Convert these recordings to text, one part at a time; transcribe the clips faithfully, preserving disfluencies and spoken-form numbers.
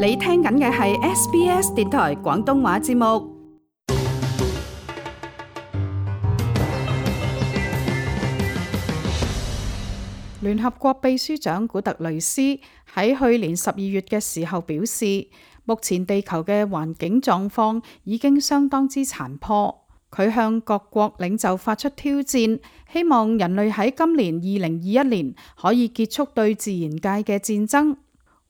你聽緊嘅係 S B S 電台廣東話節目。聯合國秘書長古特雷斯喺去年十二月嘅時候表示，目前地球嘅環境狀況已經相當之殘破。佢向各國領袖發出挑戰，希望人類喺今年二零二一年可以結束對自然界嘅戰爭。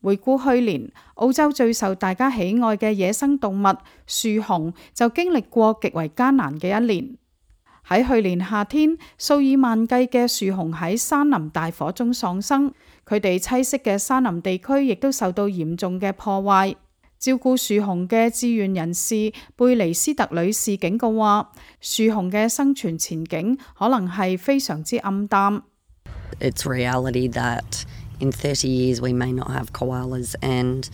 回顧去年，澳洲最受大家喜愛嘅野生動物樹熊就經歷過極為艱難嘅一年。喺去年夏天，數以萬計嘅樹熊喺山林大火中喪生，佢哋棲息嘅山林地區亦都受到嚴重嘅破壞。照顧樹熊嘅志願人士貝尼斯特女士警告話，樹熊嘅生存前景可能係非常之暗淡。It's reality that in thirty years we may not have koalas and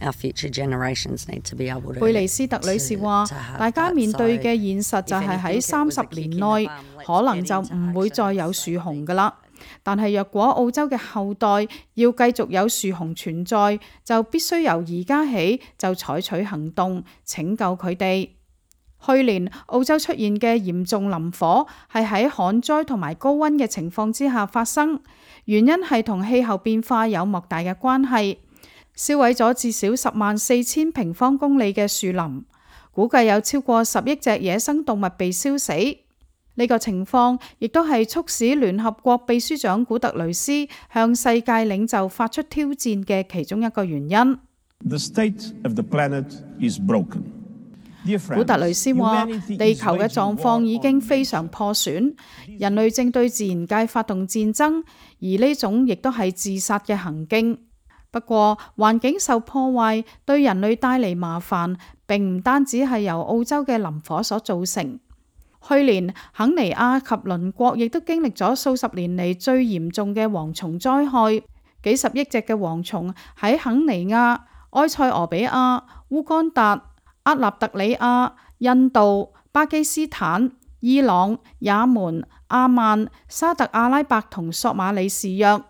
our future generations need to be able to。貝尼斯特女士話，大家面對嘅現實就係喺三十年內可能就唔會再有樹熊㗎喇。但係若果澳洲嘅後代要繼續有樹熊存在，就必須由而家起就採取行動拯救佢哋。去年澳洲出現嘅嚴重林火係喺旱災同埋高溫嘅情況之下發生，原因係同氣候變化有莫大嘅關係，燒毀咗至少十萬四千平方公里嘅樹林，估計有超過十億隻野生動物被燒死。呢個情況亦都係促使聯合國秘書長古特雷斯向世界領袖發出挑戰嘅其中一個原因。The state of the planet is broken. 古特雷斯話，地球嘅狀況已經非常破損，人類正對自然界發動戰爭，而呢種亦都係自殺嘅行徑。不過，環境受破壞對人類帶嚟麻煩，並唔單止係由澳洲嘅林火所造成。去年，肯尼亞及鄰國亦都經歷咗數十年嚟最嚴重嘅蝗蟲災害，幾十億隻嘅蝗蟲喺肯尼亞、埃塞俄比亞、烏干達、厄立特里亞、印度、巴基斯坦、伊朗、也門、阿曼、沙特阿拉伯同索馬里示弱。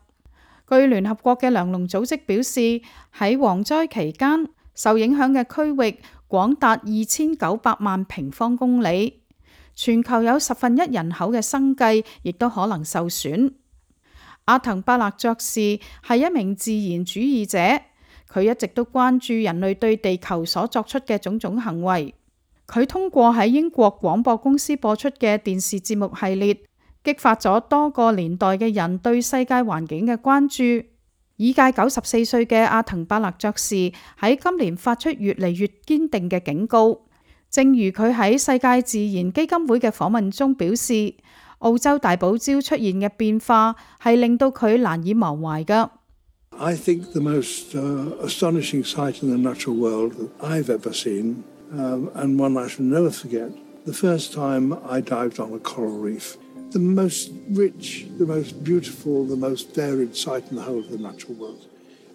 據聯合國嘅糧農組織表示，喺蝗災期間，受影響嘅區域廣達二千九百萬平方公里。全球有十分一人口嘅生計亦都可能受損。阿滕伯勒爵士係一名自然主義者，佢一直都關注人類對地球所作出嘅種種行為。佢通過喺英國廣播公司播出嘅電視節目系列，激發咗多個年代嘅人對世界環境嘅關注。已屆九十四歲嘅阿滕伯勒爵士喺今年發出越嚟越堅定嘅警告。正如佢喺世界自然基金會嘅訪問中表示，澳洲大堡礁出現嘅變化係令到佢難以忘懷㗎。I think the most uh, astonishing sight in the natural world that I've ever seen, um, and one I shall never forget, the first time I dived on a coral reef. The most rich, the most beautiful, the most varied sight in the whole of the natural world.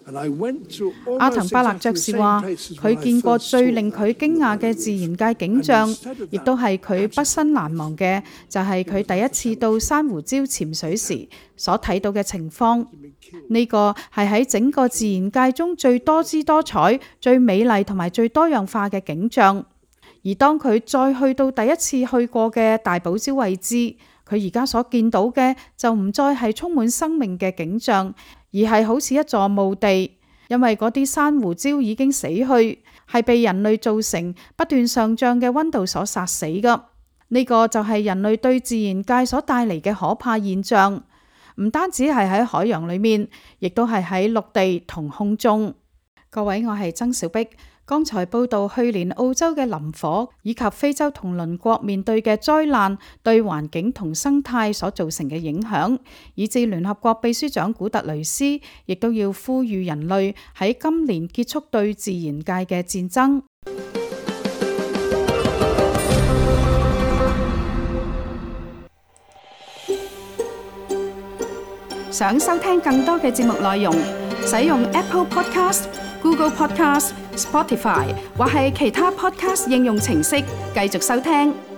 阿滕伯勒爵士話，佢見過最令佢驚訝嘅自然界景象，亦都係佢畢生難忘嘅，就係佢第一次到珊瑚礁潛水時所睇到嘅情況。呢個係喺整個自然界中最多姿多彩、最美麗同埋最多樣化嘅景象。而當佢再去到第一次去過嘅大堡礁位置，佢而家所見到嘅就唔再係充滿生命嘅景象，而係好似一座墓地，因為嗰啲珊瑚礁已經死去，係被人類造成不斷上漲嘅溫度所殺死㗎。呢個就係人類對自然界所帶嚟嘅可怕現象，唔單止係喺海洋裏面，亦都係喺陸地同空中。各位，我係曾小碧。剛才報道去年澳洲嘅林火以及非洲同鄰國面對嘅災難對環境同生態所造成嘅影響，以致聯合國秘書長古特雷斯亦都要呼籲人類喺今年結束對自然界嘅戰爭。想收聽更多嘅節目內容，使用 Apple Podcast、Google Podcast、Spotify 或係其他 Podcast 應用程式繼續收聽。